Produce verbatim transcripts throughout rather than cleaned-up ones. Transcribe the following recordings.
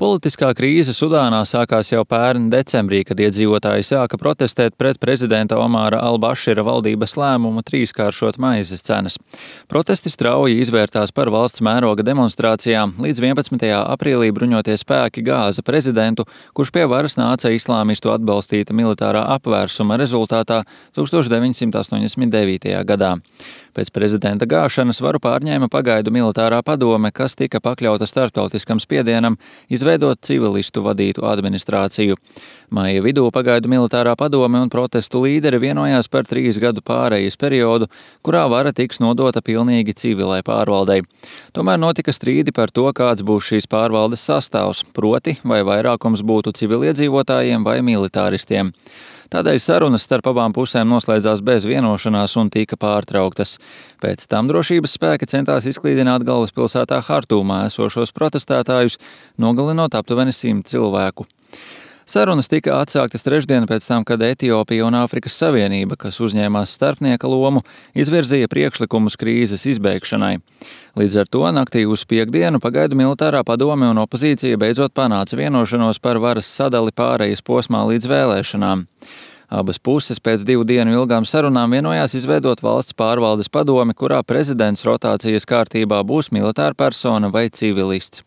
Politiskā krīze Sudānā sākās jau pērn decembrī, kad iedzīvotāji sāka protestēt pret prezidenta Omāra al-Bašira valdības lēmumu trīskāršot maizes cenas. Protesti strauji izvērtās par valsts mēroga demonstrācijām. Līdz vienpadsmitajā aprīlī bruņotie spēki gāza prezidentu, kurš pie varas nāca islāmistu atbalstīta militārā apvērsuma rezultātā tūkstoš deviņsimt astoņdesmit devītajā gadā. Pēc prezidenta gāšanas varu pārņēma pagaidu militārā padome, kas tika pakļauta starptautiskam spiedienam izveidot civilistu vadītu administrāciju. Maija vidū pagaidu militārā padome un protestu līderi vienojās par trīs gadu pārejas periodu, kurā vara tiks nodota pilnīgi civilai pārvaldei. Tomēr notika strīdi par to, kāds būs šīs pārvaldes sastāvs, proti vai vairākums būtu civiliedzīvotājiem vai militāristiem. Tādēļ sarunas starp abām pusēm noslēdzās bez vienošanās un tika pārtrauktas. Pēc tam drošības spēki centās izklīdināt galvaspilsētā Hartūmā esošos protestētājus, nogalinot aptuveni simt cilvēku. Sarunas tika atsāktas trešdien pēc tam, kad Etiopija un Āfrikas Savienība, kas uzņēmās starpnieka lomu, izvirzīja priekšlikumus krīzes izbeigšanai. Līdz ar to naktī uz piekdienu pagaidu militārā padome un opozīcija beidzot panāca vienošanos par varas sadali pārejas posmā līdz vēlēšanām. Abas puses pēc divu dienu ilgām sarunām vienojās izveidot valsts pārvaldes padomi, kurā prezidents rotācijas kārtībā būs militāra persona vai civilists.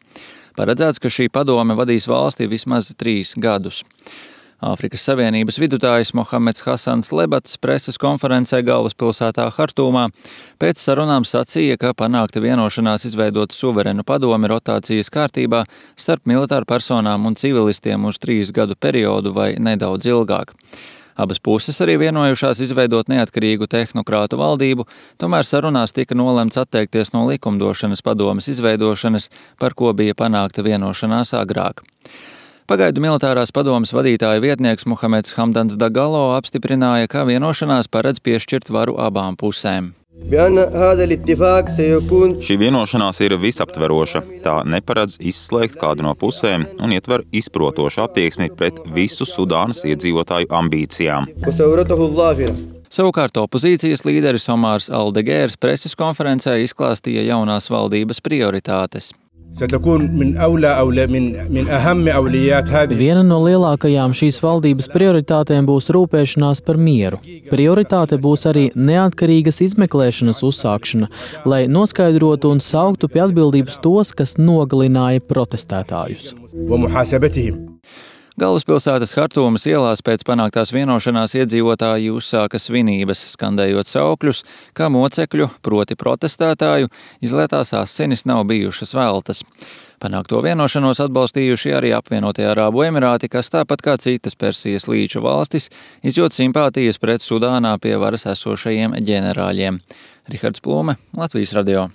Paredzēts, ka šī padome vadīs valsti vismaz trīs gadus. Āfrikas Savienības vidutājs Mohameds Hasans Lebats preses konferencē galvaspilsētā Hartūmā pēc sarunām sacīja, ka panākta vienošanās izveidot suverenu padomi rotācijas kārtībā starp militāru personām un civilistiem uz trīs gadu periodu vai nedaudz ilgāk. Abas puses arī vienojušās izveidot neatkarīgu tehnokrātu valdību, tomēr sarunās tika nolemts atteikties no likumdošanas padomes izveidošanas, par ko bija panākta vienošanās agrāk. Pagaidu militārās padomes vadītāja vietnieks Muhameds Hamdans Dagalo apstiprināja, ka vienošanās paredz piešķirt varu abām pusēm. Šī vienošanās ir visaptveroša. Tā neparedz izslēgt kādu no pusēm un ietver izprotošu attieksmi pret visu Sudānas iedzīvotāju ambīcijām. Savukārt opozīcijas līderis Omārs Aldegērs preses konferencē izklāstīja jaunās valdības prioritātes. Viena no lielākajām šīs valdības prioritātēm būs rūpēšanās par mieru. Prioritāte būs arī neatkarīgas izmeklēšanas uzsākšana, lai noskaidrotu un sauktu pie atbildības tos, kas nogalināja protestētājus. Galvaspilsētas Hartūmas ielās pēc panāktās vienošanās iedzīvotāji uzsāka svinības, skandējot saukļus, ka mocekļu, proti protestētāju, izlietās asinis nav bijušas veltas. Panākto vienošanos atbalstījuši arī apvienotie Arābu Emirāti, kas tāpat kā citas Persijas līča valstis izjūt simpātijas pret Sudānā pie varas esošajiem ģenerāļiem. Rihards Plūme, Latvijas radio.